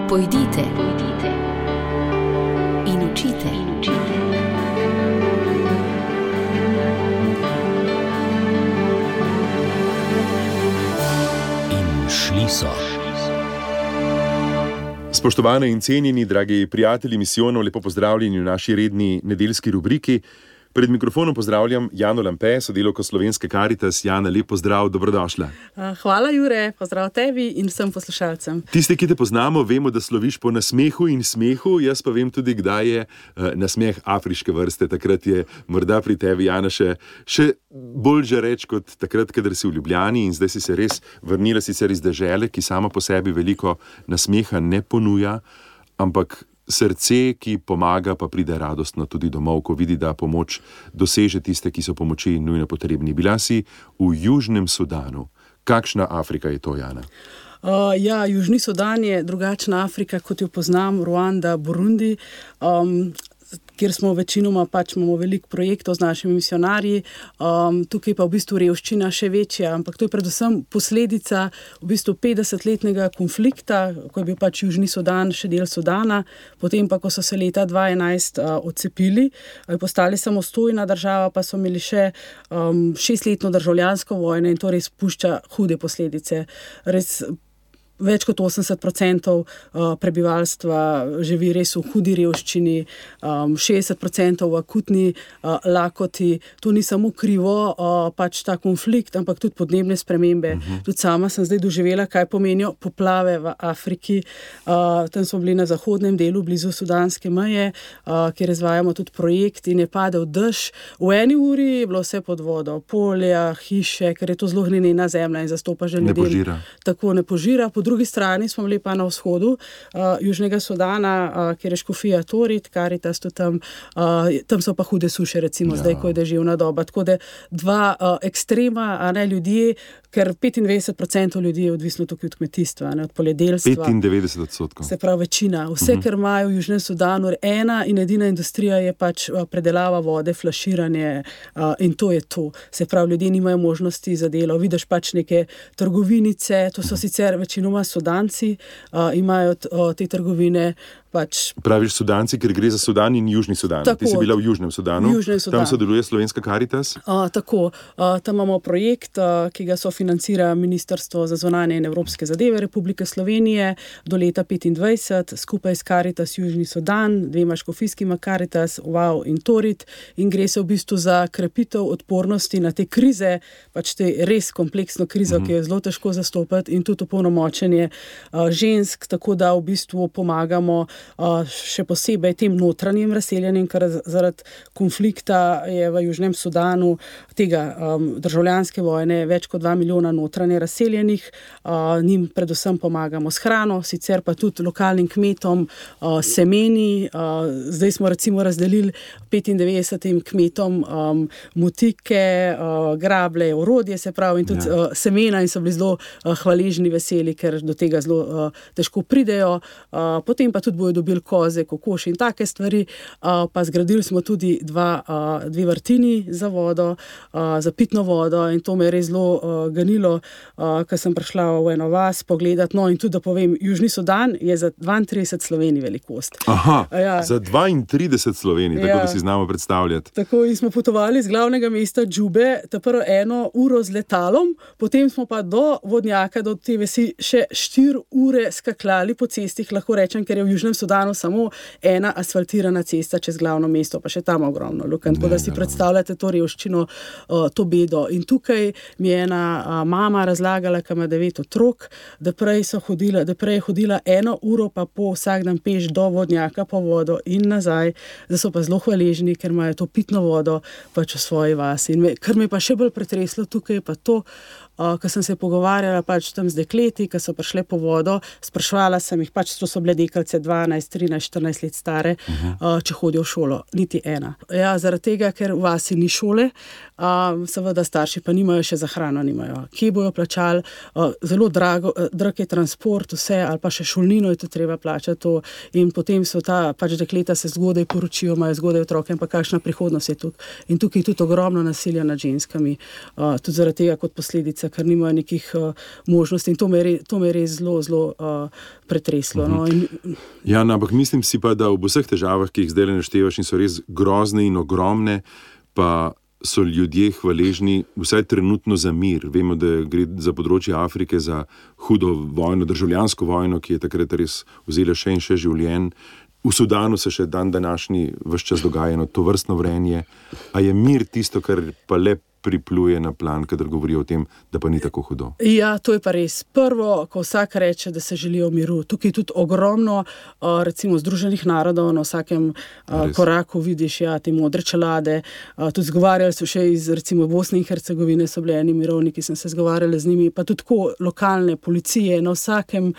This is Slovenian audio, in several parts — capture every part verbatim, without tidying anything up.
Pojdite, pojdite in učite, in učite. In šli so. Spoštovane in cenjeni, dragi prijatelji misijonov, lepo pozdravljeni v naši redni nedeljski rubriki. Pred mikrofonom pozdravljam Jano Lampe, sodelavko Slovenske Karitas. Jana, lep pozdrav, dobrodošla. Hvala, Jure, pozdrav tebi in vsem poslušalcem. Tisti, ki te poznamo, vemo, da sloviš po nasmehu in smehu. Jaz pa vem tudi, kdaj je nasmeh afriške vrste. Takrat je morda pri tebi, Jana, še, še bolj žareč kot takrat, kadar si v Ljubljani, in zdaj si se res vrnila sicer iz dežele, ki sama po sebi veliko nasmeha ne ponuja, ampak srce, ki pomaga, pa pride radostno tudi domov, ko vidi, da pomoč doseže tiste, ki so pomoči nujno potrebni. Bila si v Južnem Sudanu. Kakšna Afrika je to, Jana? Uh, ja, Južni Sudan je drugačna Afrika, kot jo poznam, Ruanda, Burundi, um, kjer smo večinoma pač imamo veliko projektov z našimi misionarji. Um, tukaj pa v bistvu revščina še večja, ampak to je predvsem posledica v bistvu petdesetletnega konflikta, ko je bil pač Južni Sudan še del Sudana, potem pa, ko so se leta dva tisoč enajst uh, odcepili, uh, postali samostojna država, pa so imeli še um, šestletno državljansko vojno in to res pušča hude posledice. Res več kot osemdeset procentov prebivalstva živi res v hudi revščini, šestdeset procentov v akutni lakoti. To ni samo krivo, pač ta konflikt, ampak tudi podnebne spremembe. Uh-huh. Tudi sama sem zdaj doživela, kaj pomenijo poplave v Afriki. Tam smo bili na zahodnem delu, blizu sudanske meje, kjer izvajamo tudi projekt in je padel dež. V eni uri je bilo vse pod vodo, polja, hiše, ker je to zelo glinena zemlja in zastopa že ljudem. Ne požira. Tako ne požira. Po drugi strani smo bili pa na vzhodu uh, Južnega Sudana, uh, kjer je škofija Torit, Karitas, tam, uh, tam so pa hude suše, recimo ja. Zdaj, ko je deževna doba. Tako da dva uh, ekstrema, a ne ljudje, ker petindevetdeset procentov ljudi je odvisno tukaj od kmetijstva, ne, od poljedelstva. petindevetdeset odstotkov. Se pravi večina. Vse, uh-huh. kar imajo v Južnem Sudanu, ena in edina industrija je pač uh, predelava vode, flaširanje uh, in to je to. Se pravi, ljudje nimajo možnosti za delo. Vidiš pač neke trgovinice, to so sicer večinoma Sudanci, uh, imajo t, uh, te trgovine. Pač. Praviš Sudanci, ker gre za Sudan in Južni Sudan. Tako, ti si bila v Južnem Sudanu. Južnem Sudan. Tam sodeluje Slovenska Karitas. Uh, tako, uh, tam imamo projekt, uh, ki ga sofinancira Ministrstvo za zunanje in evropske zadeve Republike Slovenije do leta petindvajset, skupaj s Karitas Južni Sudan, dvema škofijskima Karitas, Wow in Torit, in gre se v bistvu za krepitev odpornosti na te krize, pač te res kompleksno krizo, mm-hmm. ki je zelo težko zastopati, in tudi opolnomočenje uh, žensk, tako da v bistvu pomagamo Uh, še posebej tem notranjim razseljenim, ker zaradi konflikta je v Južnem Sudanu tega um, državljanske vojne več kot dva milijona notranje razseljenih. Uh, njim predvsem pomagamo s hrano, sicer pa tudi lokalnim kmetom uh, semeni. Uh, zdaj smo recimo razdelili petindevetdesetim kmetom um, motike, uh, grable, orodje, se pravi, in tudi ja. uh, semena, in so bili zelo uh, hvaležni, veseli, ker do tega zelo uh, težko pridejo. Uh, potem pa tudi bojo dobili koze, kokoši in take stvari, uh, pa zgradili smo tudi dva, uh, dve vrtini za vodo, uh, za pitno vodo, in to me je res zelo uh, ganilo, uh, ker sem prišla v eno vas pogledat. No, in tudi da povem, Južni Sudan je za dvaintrideset Slovenij velikost. Aha, uh, ja. Za dvaintrideset Slovenij, tako ja. Da si znamo predstavljati. Tako, in smo potovali z glavnega mesta Džube, ta prvo eno uro z letalom, potem smo pa do vodnjaka, do te vasi še štiri ure skakljali po cestih, lahko rečem, ker je v Južnem Sudanu samo ena asfaltirana cesta čez glavno mesto, pa še tam ogromno lukenj, tako da si predstavljate to revščino, to bedo. In tukaj mi je ena mama razlagala, ki ima devet otrok, da prej so hodila, da prej je hodila eno uro pa po vsak dan peš do vodnjaka po vodo in nazaj, da so pa zelo hvaležni, ker imajo to pitno vodo pač v svoji vasi. In me, kar me pa še bolj pretreslo tukaj, pa to, Uh, ko sem se pogovarjala pač tam z dekleti, ki so prišle po vodo, sprašvala sem jih, pač to so bile deklice dvanajst, trinajst, štirinajst let stare, uh-huh. uh, če hodijo v šolo. Niti ena. Ja, zaradi tega, ker v vasi ni šole, uh, seveda starši pa nimajo še za hrano, nimajo. Kje bojo plačali? Uh, zelo drago, uh, drag je transport, vse, ali pa še šolnino je to treba plačati. To. In potem so ta, pač dekleta se zgodaj poročijo, imajo zgodaj otroke, in pa kakšna prihodnost je tukaj. In tukaj je tudi ogromno nasilja nad ženskami, uh, tudi zaradi tega kot posledica ulice, ker nimajo nekih uh, možnosti in to me je, to me je res zelo, zelo uh, pretreslo. Uh-huh. no, in... Ja, no, ampak mislim si pa, da ob vseh težavah, ki jih zdaj naštevaš in so res grozne in ogromne, pa so ljudje hvaležni vsaj trenutno za mir. Vemo, da gre za področje Afrike za hudo vojno, državljansko vojno, ki je takrat res vzela še in še življenj. V Sudanu se še dan današnji ves čas dogaja to vrstno vrenje. A je mir tisto, kar pa le pripluje na plan, kadar govorijo o tem, da pa ni tako hudo? Ja, to je pa res. Prvo, ko vsak reče, da se želijo miru. Tukaj tudi ogromno, recimo, Združenih narodov, na vsakem res. koraku vidiš, ja, te modre čelade. Tudi zgovarjali so še iz, recimo, Bosne in Hercegovine so bili eni mirovniki, sem se zgovarjala z njimi, pa tudi tako lokalne policije, na vsakem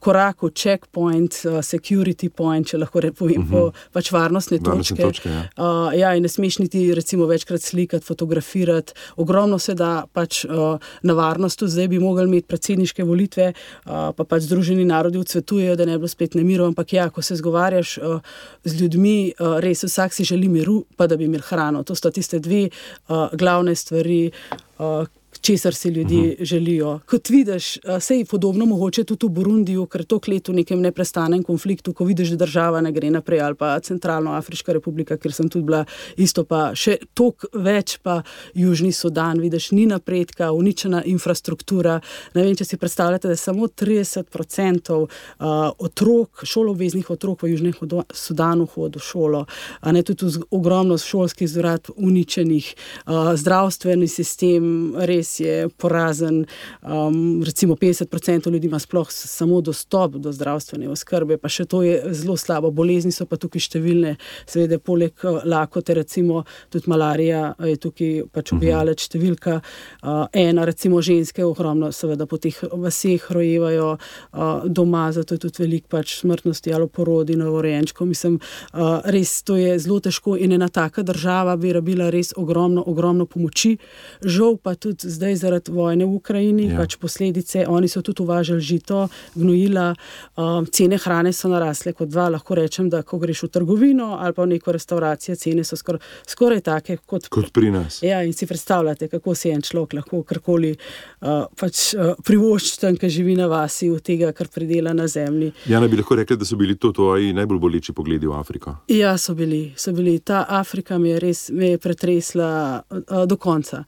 koraku checkpoint, security point, če lahko povem, uh-huh. po pač varnostne točke. točke ja. Uh, ja, in ne smeš niti, recimo, večkrat slikati, fotografirati. Ogromno se da pač uh, na varnosti. Zdaj bi mogli imeti predsedniške volitve, uh, pa pač Združeni narodi odsvetujejo, da ne bi bilo spet nemirov, ampak ja, ko se zgovarjaš uh, z ljudmi, uh, res vsak si želi miru, pa da bi imeli hrano. To sta tiste dve uh, glavne stvari, uh, česar si ljudje uh-huh. želijo. Kot vidiš, sej podobno mogoče tudi v Burundiju, ker toliko let v nekem neprestanem konfliktu, ko vidiš, da država ne gre naprej, ali pa Centralnoafriška republika, kjer sem tudi bila isto, pa še toliko več, pa Južni Sudan, vidiš, ni napredka, uničena infrastruktura. Ne vem, če si predstavljate, da je samo trideset procentov uh, otrok, šoloobveznih otrok v Južnem Sudanu hodi v šolo, a ne tudi ogromno šolskih zgradb uničenih, uh, zdravstveni sistem res je porazen, um, recimo petdeset procentov ljudi ima sploh samo dostop do zdravstvene oskrbe, pa še to je zelo slabo. Bolezni so pa tukaj številne, seveda poleg lakote, recimo tudi malarija je tukaj pač ubijalec številka uh, ena, recimo ženske ogromno seveda po teh vaseh rojevajo uh, doma, zato je tudi veliko pač smrtnosti ali porodi novorojenčkov. Mislim, uh, res to je zelo težko in ena taka država bi rabila res ogromno, ogromno pomoči. Žal pa tudi zdaj zaradi vojne v Ukrajini, ja. pač posledice, oni so tudi uvažali žito, gnojila, um, cene hrane so narasle kot dva, lahko rečem, da ko greš v trgovino ali pa v neko restauracijo, cene so skor, skoraj take kot, kot pri nas. Ja, in si predstavljate, kako se en človek lahko karkoli uh, pač uh, privošči tam, ki živi na vasi, od tega, kar pridela na zemlji. Jana, bi lahko rekla, da so bili to tvoji najbolj boleči pogledi v Afriko? Ja, so bili, so bili. Ta Afrika me je res me je pretresla uh, do konca.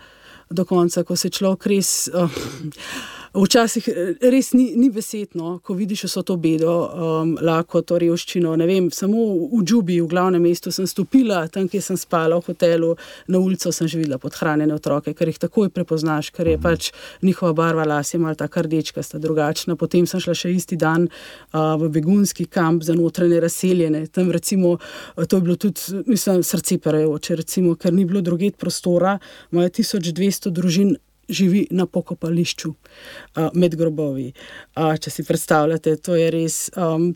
do konca, ko se človek res uh, včasih res ni, ni besedno, ko vidiš vso to bedo, um, lakoto, revščino, ne vem, samo v Džubi, v glavnem mestu sem stopila, tam, kjer sem spala v hotelu, na ulico sem že videla podhranjene otroke, ker jih takoj prepoznaš, ker je pač njihova barva las je malo taka rdečka, sta drugačna. Potem sem šla še isti dan uh, v begunski kamp za notranje razseljene. Tam recimo, to je bilo tudi, mislim, srce perejoče, recimo, ker ni bilo druget prostora, imajo tisoč dvesto družin živi na pokopališču uh, med grobovi. Uh, če si predstavljate, to je res um,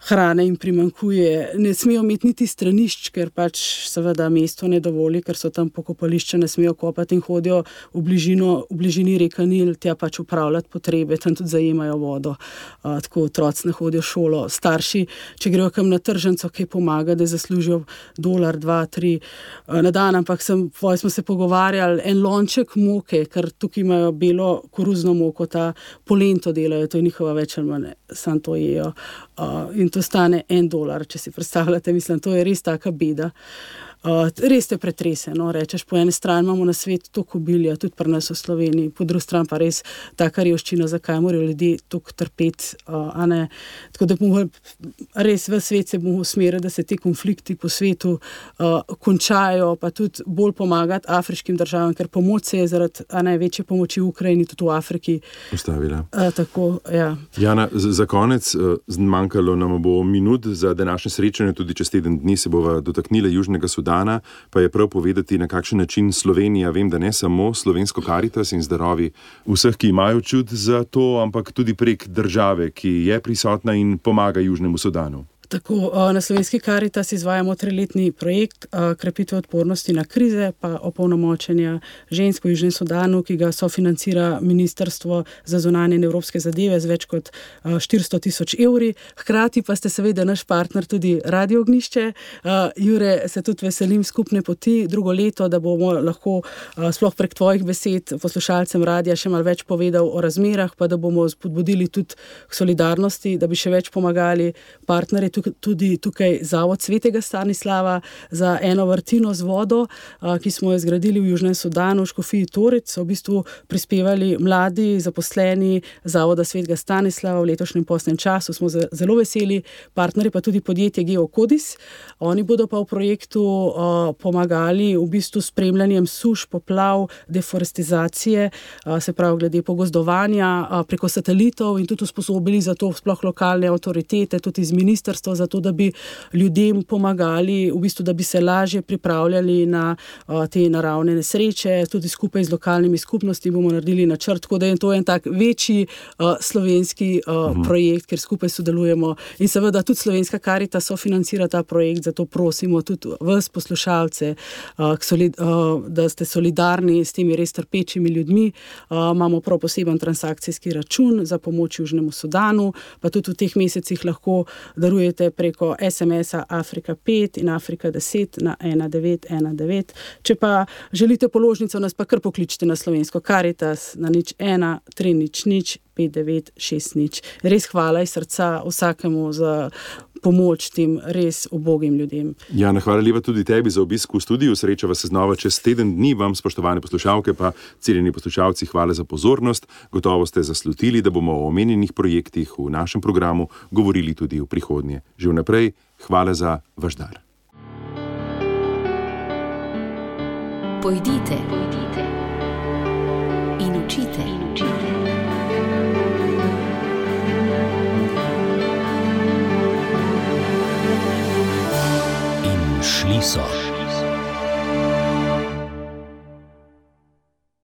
hrane jim primanjkuje. Ne smejo imeti niti stranišč, ker pač seveda mesto ne dovoli, ker so tam pokopališča, ne smejo kopati in hodijo v, bližino, v bližini reka Nil, tja pač upravljati potrebe, tam tudi zajemajo vodo. Uh, tako otroci ne hodijo v šolo. Starši, če grejo kam na tržnico, kaj pomaga, da zaslužijo dolar, dva, tri uh, na dan, ampak sem, smo se pogovarjali, en lonček moke, ker tukaj imajo belo koruzno moko, ta polento delajo, to je njihova več ali manj, sam to jejo. Uh, in to stane en dolar, če si predstavljate, mislim, to je res taka beda. Uh, res te pretrese, no, rečeš, po eni strani imamo na svetu toliko obilja, tudi pri nas v Sloveniji, po drugi strani pa res taka revščina, zakaj morajo ljudje toliko trpeti, uh, a ne, tako da bomo res v svet se bomo usmerili, da se ti konflikti po svetu uh, končajo, pa tudi bolj pomagati afriškim državam, ker pomoč se je zaradi a ne, večje pomoči v Ukrajini, tudi v Afriki ustavila. Uh, tako, ja. Jana, za konec, uh, zmanjkalo nam bo minut za današnje srečanje, tudi čez teden dni se bova dotaknila Južnega Sudana, pa je prav povedati, na kakšen način Slovenija, vem, da ne samo slovensko Karitas in zdarovi vseh, ki imajo čut za to, ampak tudi prek države, ki je prisotna in pomaga Južnemu Sudanu. Tako, na Slovenski Karitas izvajamo triletni projekt krepitve odpornosti na krize pa opolnomočenja žensk v Južnem Sudanu, ki ga sofinancira Ministrstvo za zunanje in evropske zadeve z več kot štiristo tisoč evri. Hkrati pa ste seveda naš partner tudi Radio Ognjišče. Jure, se tudi veselim skupne poti drugo leto, da bomo lahko sploh prek tvojih besed poslušalcem radia še malo več povedal o razmerah, pa da bomo spodbudili tudi k solidarnosti, da bi še več pomagali partnerje. Tudi tukaj Zavod Svetega Stanislava za eno vrtino z vodo, ki smo jo zgradili v Južnem Sudanu, v Škofiji Torec, so v bistvu prispevali mladi zaposleni Zavoda Svetega Stanislava v letošnjem postnem času. Smo zelo veseli, partnerji pa tudi podjetje Geokodis. Oni bodo pa v projektu pomagali v bistvu spremljanjem suš, poplav, deforestizacije, se pravi glede pogozdovanja preko satelitov in tudi usposobili za to sploh lokalne avtoritete, tudi iz ministrstva, zato, da bi ljudem pomagali, v bistvu, da bi se lažje pripravljali na uh, te naravne nesreče. Tudi skupaj z lokalnimi skupnosti bomo naredili načrt, tako da je to en tak večji uh, slovenski uh, uh-huh. projekt, kjer skupaj sodelujemo. In seveda tudi Slovenska Karitas sofinancira ta projekt, zato prosimo tudi vas, poslušalce, uh, solid, uh, da ste solidarni s temi res trpečimi ljudmi. Uh, imamo prav poseben transakcijski račun za pomoč Južnemu Sudanu, pa tudi v teh mesecih lahko darujete preko es em es-a Afrika pet in Afrika deset na ena devet ena devet. Če pa želite položnico, nas pa kar pokličite na Slovensko Karitas na nič ena tri nič nič pet devet šest nič. Res hvala iz srca vsakemu za pomoč tem res ubogim ljudem. Jana, hvala lepa tudi tebi za obisk v studiu. Srečava se znova čez teden dni. Vam, spoštovane poslušalke, pa ciljeni poslušalci, hvala za pozornost. Gotovo ste zaslutili, da bomo o omenjenih projektih v našem programu govorili tudi v prihodnje. Že vnaprej, hvala za vaš dar. Pojdite, pojdite in učite, in učite. In šli so.